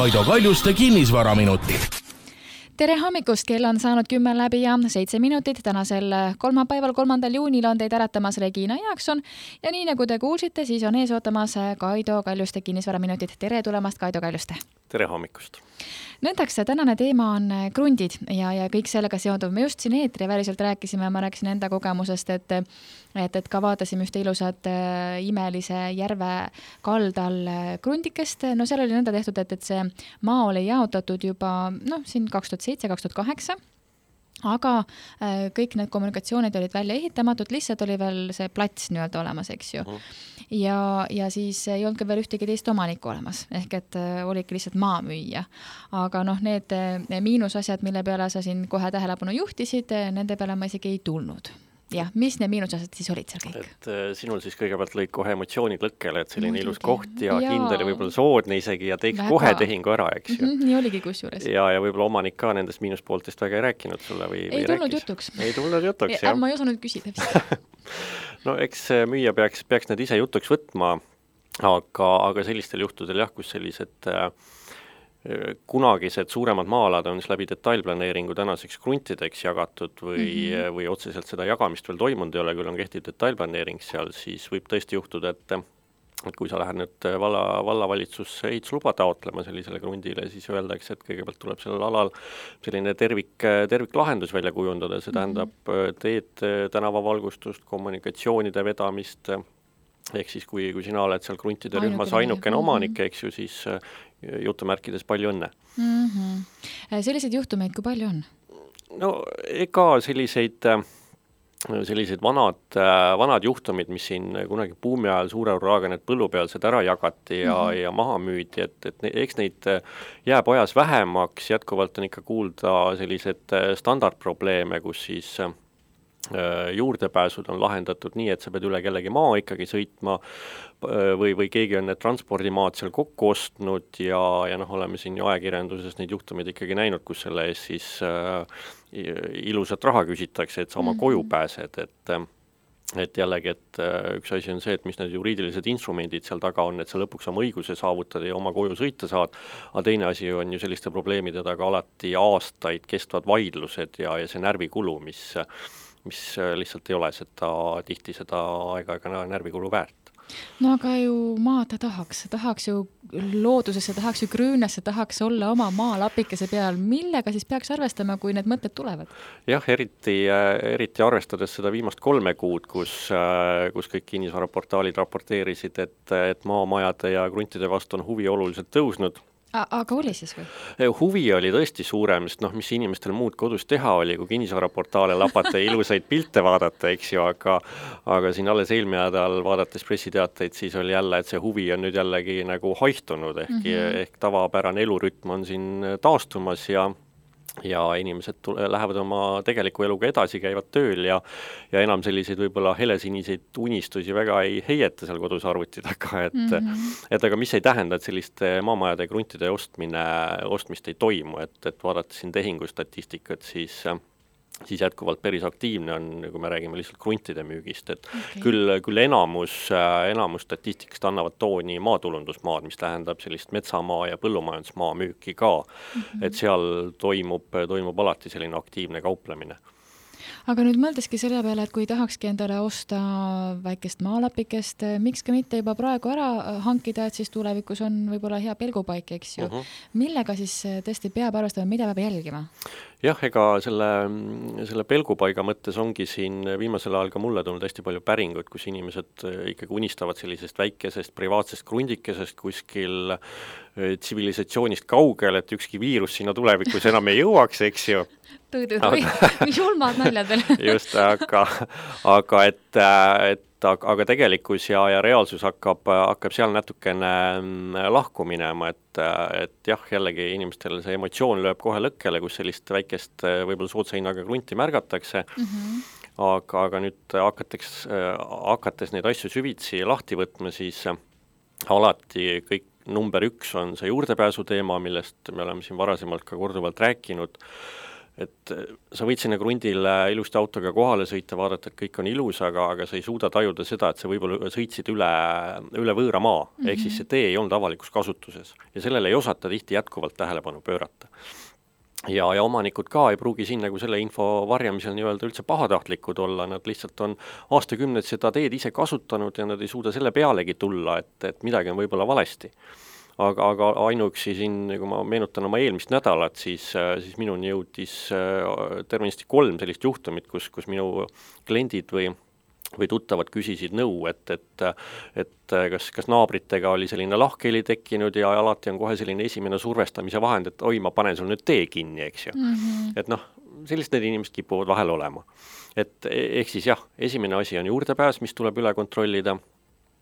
Kaido Kaljuste kinnisvaraminutid. Tere hommikust, kell on saanud 10 läbi ja 7 minutit. Tänasel kolmapäeval 3. juunil on teid äratamas Regina Jaakson ja nii nagu te kuulsite, siis on ees ootamas Kaido Kaljuste kinnisvaraminutid. Tere tulemast, Kaido Kaljuste! Tere hommikust! Nõndaks, tänane teema on krundid ja kõik sellega seonduv. Me just siin eetriväliselt rääkisime ja ma rääkisin enda kogemusest, et ka vaatasime ühte ilusat imelise järve kaldal krundikest. No seal oli nõnda tehtud, et see maa oli jaotatud juba siin 2007-2008. Aga kõik need kommunikatsioonid olid välja ehitamatud, lihtsalt oli veel see plats nii-öelda olemas, eks ju. Ja siis ei olnud ka veel ühtegi teist omanikku olemas, ehk et oligi lihtsalt maa müüa. Aga need miinusasjad, mille peale sa siin kohe tähelepanu juhtisid, nende peale ma isegi ei tulnud. Jah, mis need miinusasjad siis olid seal kõik? Et sinul siis kõigepealt lõid kohe emotsioonid lõkkele, et selline ilus koht ja kindel ja võib-olla soodne isegi ja teiks kohe tehingu ära, eks ju. Nii oligi kusjuures. Ja võib-olla omanik ka nendest miinuspooltest väga ei rääkinud sulle või ei tulnud jutuks. Ei tulnud jutuks, jah. Ma ei osanud küsida vist. No eks müüja peaks need ise jutuks võtma, aga sellistel juhtudel jah, kus sellised kunagised suuremad maalad on siis läbi detailplaneeringu tänaseks kruntideks jagatud või otseselt seda jagamist veel toimunud ei ole, küll on kehtiv detailplaneering seal, siis võib tõesti juhtuda, et kui sa lähed nüüd vallavalitsusse ehitusluba taotlema sellisele krundile, siis öeldakse, et kõigepealt tuleb sellel alal selline terviklahendus välja kujundada, see tähendab teed, tänavavalgustust, kommunikatsioonide vedamist, ehk siis kui sina oled seal kruntide rühmas ainukene omanik, eks ju, siis jutumärkides palju õnne. Selliseid juhtumeid, kui palju on? No ega sellised vanad juhtumid, mis siin kunagi buumi ajal suure uraaga need põllupealsed ära jagati ja maha müüdi, et eks neid jääb ajas vähemaks, jätkuvalt on ikka kuulda sellised standardprobleeme, kus siis juurdepääsud on lahendatud nii, et sa pead üle kellegi maa ikkagi sõitma või keegi on need transpordimaad seal kokku ostnud ja oleme siin ju ajakirjanduses neid juhtumeid ikkagi näinud, kus selle ees siis ilusat raha küsitakse, et sa oma koju pääsed, et jällegi, et üks asi on see, et mis need juriidilised instrumendid seal taga on, et sa lõpuks oma õiguse saavutada ja oma koju sõita saad, aga teine asi on ju selliste probleemide taga alati aastaid kestvad vaidlused ja see närvikulu, mis lihtsalt ei ole tihti seda aega närvikulu väärt. No aga ju maad tahaks ju loodusesse, tahaks ju grüünasse, tahaks olla oma maalapikese peal. Millega siis peaks arvestama, kui need mõtted tulevad? Jah, eriti arvestades seda viimast 3 kuud, kus kõik kinnisvaraportaalid raporteerisid, et maamajade ja kruntide vastu on huvi oluliselt tõusnud. Aga oli siis või? Huvi oli tõesti suurem, sest mis inimestel muud kodus teha oli, kui kinnisvaraportaale lapata ja ilusaid pilte vaadata, eks ju, aga siin alles eelmine nädal vaadates pressiteateid, siis oli jälle, et see huvi on nüüd jällegi nagu haihtunud, ehk tavapärane elurütm on siin taastumas ja inimesed lähevad oma tegeliku eluga edasi, käivad tööl ja enam selliseid võib-olla helesiniseid unistusi väga ei heieta seal kodus arvuti taga, et aga mis ei tähenda, et selliste maamajade ja kruntide ostmist ei toimu, et vaadata siin tehingustatistikat, siis jätkuvalt päris aktiivne on, kui me räägime lihtsalt kruntide müügist, et küll enamus statistikast annavad tooni maatulundusmaad, mis tähendab sellist metsamaa ja põllumajandusmaa müüki ka, et seal toimub alati selline aktiivne kauplemine. Aga nüüd mõeldeski selle peale, et kui tahakski endale osta väikest maalapikest, miks ka mitte juba praegu ära hankida, et siis tulevikus on võib-olla hea pelgupaik, eks ju. Millega siis tõesti peab arvestama, mida peab jälgima? Jah, ega selle pelgupaiga mõttes ongi siin viimasel ajal ka mulle tulnud hästi palju päringut, kus inimesed ikkagi unistavad sellisest väikesest privaatsest krundikesest kuskil tsivilisatsioonist kaugel, et ükski viirus sinna tulevikus enam ei jõuaks, eks ju. Mis julmad naljad veel. Just, aga tegelikkus ja reaalsus hakkab seal natukene lahku minema, et jah, jällegi inimestel see emotsioon lööb kohe lõkkele, kus sellist väikest võib-olla soodsa hinnaga krunti märgatakse, aga nüüd hakates neid asju süvitsi lahti võtma, siis alati kõik number 1 on see juurdepääsu teema, millest me oleme siin varasemalt ka korduvalt rääkinud. et sa võid sinna krundile ilusti autoga kohale sõita, vaadata, et kõik on ilus, aga sa ei suuda tajuda seda, et sa võib-olla sõitsid üle võõra maa, ehk siis see tee ei olnud avalikus kasutuses ja sellele ei osata tihti jätkuvalt tähelepanu pöörata. Ja omanikud ka ei pruugi siin nagu selle info varjamisel nii-öelda üldse pahatahtlikud olla, nad lihtsalt on aastakümneid seda teed ise kasutanud ja nad ei suuda selle pealegi tulla, et midagi on võib-olla valesti. Aga ainuüksi siin, kui ma meenutan oma eelmist nädalat, siis minuni jõudis tervenisti 3 sellist juhtumit, kus minu kliendid või tuttavad küsisid nõu, et kas naabritega oli selline lahkheli tekkinud ja alati on kohe selline esimene survestamise vahend, et oi, ma panen sul nüüd tee kinni, eks ju. Et sellised need inimesed kipuvad vahel olema. Et ehk siis jah, esimene asi on juurdepääs, mis tuleb üle kontrollida.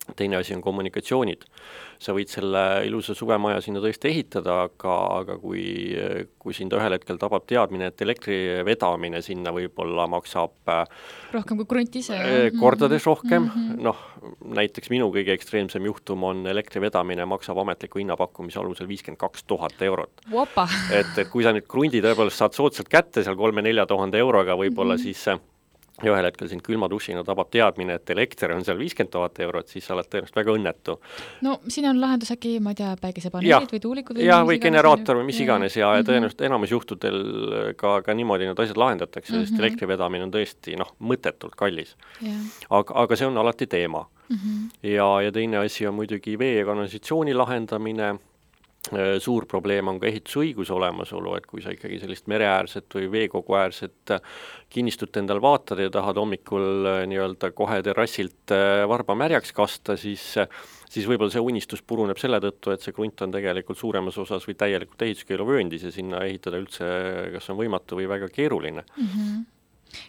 Teine asi on kommunikatsioonid. Sa võid selle ilusa suvemaja sinna tõesti ehitada, aga kui sind ühel hetkel tabab teadmine, et elektri vedamine sinna võib-olla maksab rohkem kui krunt ise. Kordades rohkem. Näiteks minu kõige ekstreemsem juhtum on elektri vedamine maksab ametliku hinnapakkumise alusel 52 000 eurot. Opa. Et kui sa nüüd krundi tõepoolest saad soodsalt kätte seal 3-4 000 euroga võib-olla siis ja ühel hetkel sind külma dušina tabab teadmine, et elekter on seal 50 000 eurot, siis sa oled tõenäoliselt väga õnnetu. No siin on lahendus äkki, ma ei tea, päikesepaneelid või tuulikud või generaator või mis iganes ja tõenäoliselt enamus juhtudel ka niimoodi need asjad lahendatakse, sest elektri vedamine on tõesti mõttetult kallis. Aga see on alati teema. Ja teine asi on muidugi vee ja kanalisatsiooni lahendamine. Suur probleem on ka ehitusõiguse olemasolu, et kui sa ikkagi sellist mereäärset või veekoguäärset kinnistut endal vaatad ja tahad hommikul nii-öelda kohe terrassilt varba märjaks kasta, siis võib-olla see unistus puruneb selle tõttu, et see krunt on tegelikult suuremas osas või täielikult ehituskeeluvööndis ja sinna ehitada üldse kas on võimatu või väga keeruline.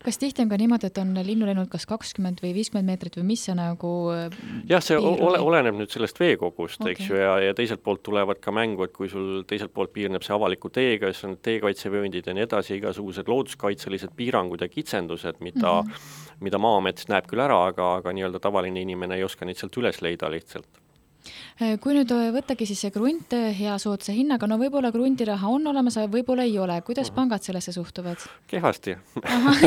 Kas tihti on ka niimoodi, et on linnu läinud kas 20 või 50 meetrit või mis see nagu jah, see oleneb nüüd sellest veekogust, eks ju, ja teiselt poolt tulevad ka mängu, et kui sul teiselt poolt piirneb see avaliku teega, siis on teekaitsevööndid ja nii edasi, igasugused looduskaitselised piirangud ja kitsendused, mida Maa-amet näeb küll ära, aga nii-öelda tavaline inimene ei oska neid sealt üles leida lihtsalt. Kui nüüd võttagi siis see krunt hea soodsa hinnaga, no võib-olla krundiraha on olemas, aga võib-olla ei ole. Kuidas pangad sellesse suhtuvad? Kehvasti.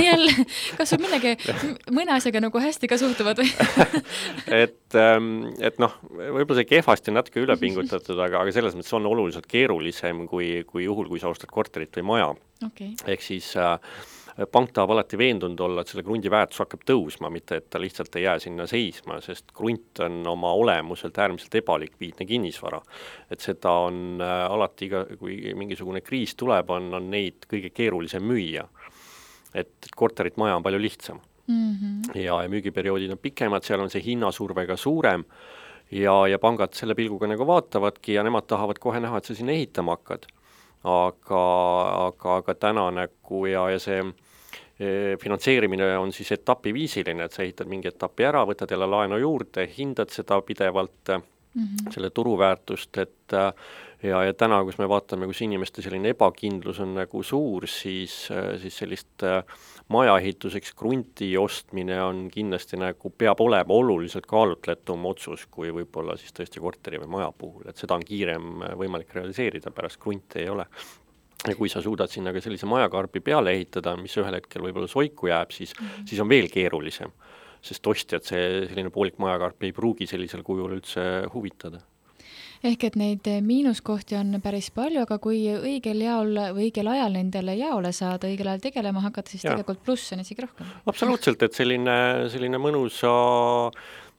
Jälle, kas sul mõne asjaga nagu hästi ka suhtuvad või? et võib-olla see kehvasti on natuke ülepingutatud, aga selles mõttes on oluliselt keerulisem kui juhul, kui sa ostad korterit või maja. Ehk siis pank tahab alati veendunud olla, et selle krundi väärtus hakkab tõusma, mitte et ta lihtsalt ei jää sinna seisma, sest krunt on oma olemuselt äärmiselt ebalikviidne kinnisvara. Et seda on alati, kui mingisugune kriis tuleb, on neid kõige keerulisem müüa. Et korterit maja on palju lihtsam. Ja müügiperioodid on pikemad, seal on see hinnasurve ka suurem ja pangad selle pilguga nagu vaatavadki ja nemad tahavad kohe näha, et sa sinna ehitama hakkad. Aga täna nagu ja see finantseerimine on siis etapiviisiline, et sa ehitad mingi etapi ära, võtad jälle laenu juurde, hindad seda pidevalt, selle turuväärtust, et ja täna, kus me vaatame, kus inimeste selline ebakindlus on nagu suur, siis sellist majaehituseks krunti ostmine on kindlasti nagu peab olema oluliselt kaalutletum otsus, kui võib-olla siis tõesti korteri või maja puhul, et seda on kiirem võimalik realiseerida, pärast krunti ei ole. Ja kui sa suudad sinna ka sellise majakarbi peale ehitada, mis ühel hetkel võib-olla soiku jääb, siis on veel keerulisem, sest ostjad selline poolik majakarp ei pruugi sellisel kujul üldse huvitada. Ehk et neid miinuskohti on päris palju, aga kui õigel ajal nendele jaole saada, õigel ajal tegelema hakata, siis tegelikult pluss on isegi rohkem. Absoluutselt, et selline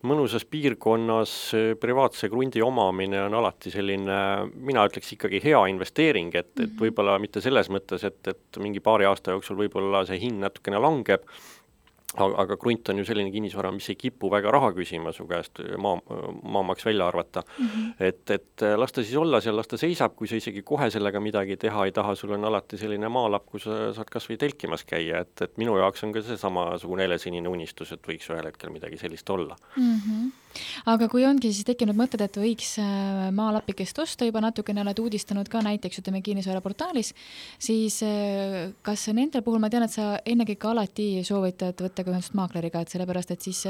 mõnusas piirkonnas privaatse krundi omamine on alati selline, mina ütleks ikkagi hea investeering, et võib-olla mitte selles mõttes, et mingi paari aasta jooksul võib-olla see hind natukene langeb, aga krunt on ju selline kinnisvara, mis ei kipu väga raha küsima su käest maamaks välja arvata. Et lasta siis olla seal, lasta seisab, kui sa isegi kohe sellega midagi teha ei taha, sul on alati selline maalapp, kus sa saad kas või telkimas käia, et minu jaoks on ka see samasugune helesinine unistus, et võiks ühel hetkel midagi sellist olla. Aga kui ongi siis tekkinud mõtted, et võiks maalapikest osta, juba natukene oled uudistanud ka näiteks, ütleme kinnisvaraportaalis, siis kas nendel puhul ma tean, et sa ennekõike alati soovitad võtta ka ühendust maakleriga, et sellepärast, et siis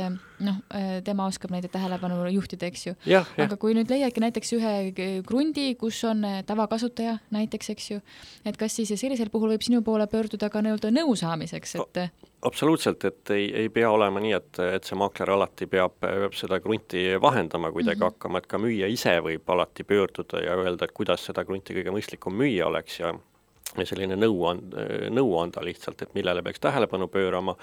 tema oskab neid tähelepanu juhtida, eks ju. Aga kui nüüd leiadki näiteks ühe krundi, kus on tavakasutaja näiteks, eks ju, et kas siis sellisel puhul võib sinu poole pöörduda ka nõu saamiseks, et absoluutselt, et ei pea olema nii, et see maakler alati peab seda krunti vahendama kuidagi hakkama, et ka müüja ise võib alati pöörduda ja öelda, et kuidas seda krunti kõige mõistlikum müüa oleks ja selline nõu anda lihtsalt, et millele peaks tähelepanu pöörama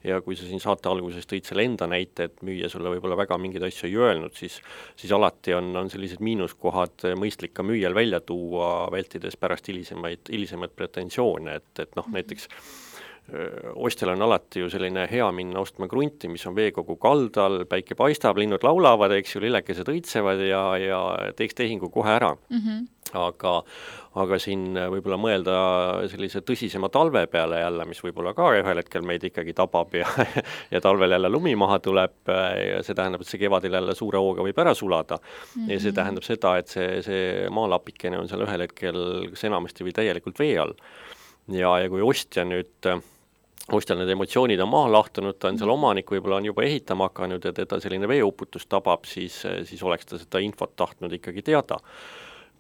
ja kui sa siin saate alguses tõid selle enda näite, et müüja sulle võib-olla väga mingeid asju ei öelnud, siis alati on sellised miinuskohad mõistlik ka müüjal välja tuua, vältides pärast hilisemaid pretensioone, et näiteks ostjal on alati ju selline hea minna ostma krunti, mis on veekogu kaldal, päike paistab, linnud laulavad, eks ju, lillekesed õitsevad ja teeks tehingu kohe ära. Aga siin võib-olla mõelda sellise tõsisema talve peale jälle, mis võib-olla ka ühel hetkel meid ikkagi tabab ja talvel jälle lumi maha tuleb ja see tähendab, et see kevadil jälle suure hooga võib ära sulada. Ja see tähendab seda, et see maalapikene on seal ühel hetkel enamasti või täielikult vee all. Ja kui ostjal need emotsioonid on maha lahtunud, ta on seal omanik, võib-olla on juba ehitama hakanud ja teda selline veeuputus tabab, siis oleks ta seda infot tahtnud ikkagi teada.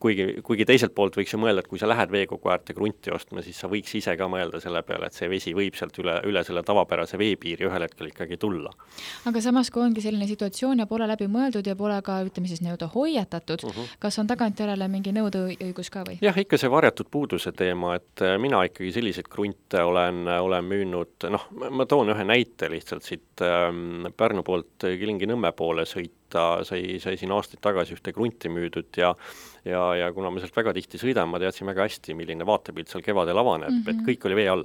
Kuigi teiselt poolt võiks ju mõelda, et kui sa lähed veekogu äärte krunti ostma, siis sa võiks ise ka mõelda selle peale, et see vesi võib sealt üle selle tavapärase veepiiri ühel hetkel ikkagi tulla. Aga samas, kui ongi selline situatsioon ja pole läbi mõeldud ja pole ka, ütleme siis hoiatatud, kas on tagantjärele mingi nõudeõigus ka või? Jah, ikka see varjatud puuduse teema, et mina ikkagi selliseid krunte olen müünud, ma toon ühe näite lihtsalt siit Pärnu poolt Kilingi-Nõmme poole sai siin aastaid tagasi ühte krunti müüdud ja kuna ma sealt väga tihti sõidan, ma teadsin väga hästi, milline vaatepilt seal kevadel avaneb, et kõik oli vee all.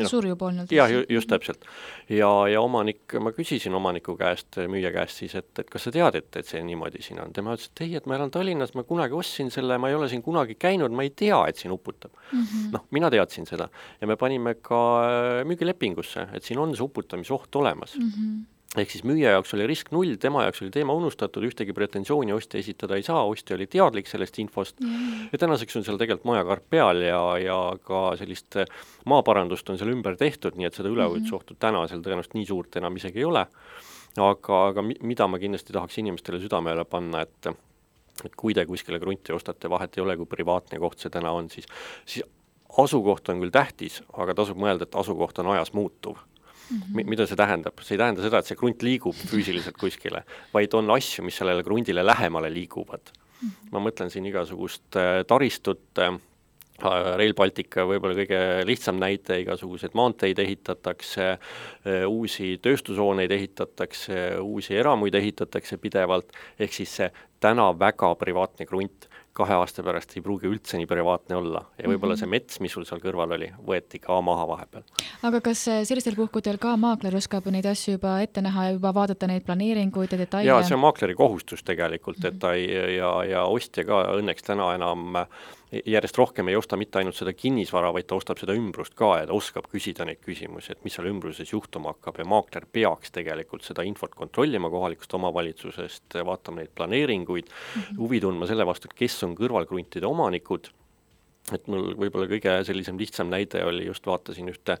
Surju polnud. Jah, just täpselt. Ja ma küsisin omaniku käest, müüja käest siis, et kas sa tead, et see niimoodi siin on. Tema ütles, et ei, et ma elan Tallinnas, ma kunagi ostsin selle, ma ei ole siin kunagi käinud, ma ei tea, et siin uputab. Mina teadsin seda ja me panime ka müügilepingusse, et siin on see uputamisoht olemas. Ehk siis müüja jaoks oli risk 0, tema jaoks oli teema unustatud, ühtegi pretensiooni ostja esitada ei saa, ostja oli teadlik sellest infost ja tänaseks on seal tegelikult majakarp peal ja ka sellist maaparandust on seal ümber tehtud, nii et seda üleujutusohtu täna seal tõenäoliselt nii suurt enam isegi ei ole. Aga mida ma kindlasti tahaks inimestele südamele panna, et kui te kuskile krunti ostate, vahet ei ole, kui privaatne koht see täna on, siis asukoht on küll tähtis, aga tasub mõelda, et asukoht on ajas muutuv. Mida see tähendab? See ei tähenda seda, et see krunt liigub füüsiliselt kuskile, vaid on asju, mis sellele krundile lähemale liiguvad. Ma mõtlen siin igasugust taristut, Rail Baltica võib-olla kõige lihtsam näite, igasugused maanteid ehitatakse, uusi tööstushooneid ehitatakse, uusi eramuid ehitatakse pidevalt, ehk siis see täna väga privaatne krunt 2 aasta pärast ei pruugi üldse nii privaatne olla ja võib-olla see mets, mis sul seal kõrval oli, võeti ka maha vahepeal. Aga kas sellistel puhkudel ka maakler oskab neid asju juba ette näha ja juba vaadata neid planeeringuid ja detaile? Jaa, see on maakleri kohustus tegelikult, et ta ja ostja ka õnneks täna enam järjest rohkem ei osta mitte ainult seda kinnisvara, vaid ta ostab seda ümbrust ka ja ta oskab küsida neid küsimusi, et mis seal ümbruses juhtuma hakkab ja maakler peaks tegelikult seda infot kontrollima kohalikust omavalitsusest, vaatama neid planeeringuid, huvi tundma selle vastu, et kes on kõrvalkruntide omanikud. Et mul võib-olla kõige sellisem lihtsam näide oli, just vaatasin ühte,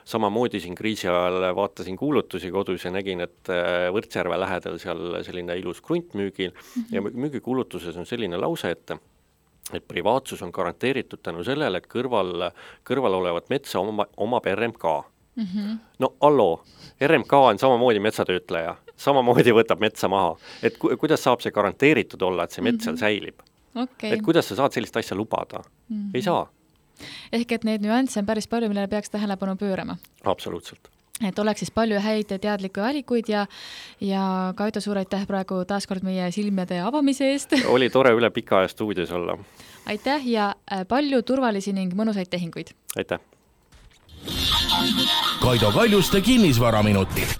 samamoodi siin kriisi ajal vaatasin kuulutusi kodus ja nägin, et Võrtsjärve lähedal seal selline ilus krunt müügil ja müügikuulutuses on selline lause, et privaatsus on garanteeritud tänu sellele, et kõrval olevat metsa omab RMK. No alloo, RMK on samamoodi metsatöötleja, samamoodi võtab metsa maha. Et kuidas saab see garanteeritud olla, et see mets seal säilib? Et kuidas sa saad sellist asja lubada? Ei saa. Ehk et need nüansse on päris palju, millele peaks tähelepanu pöörama. Absoluutselt. Et oleks siis palju häid teadlikke valikuid ja Kaido, suur aitäh praegu taaskord meie silmade avamise eest. Oli tore üle pika aja stuudios olla. Aitäh ja palju turvalisi ning mõnusaid tehinguid. Aitäh. Kaido Kaljuste kinnisvaraminutid.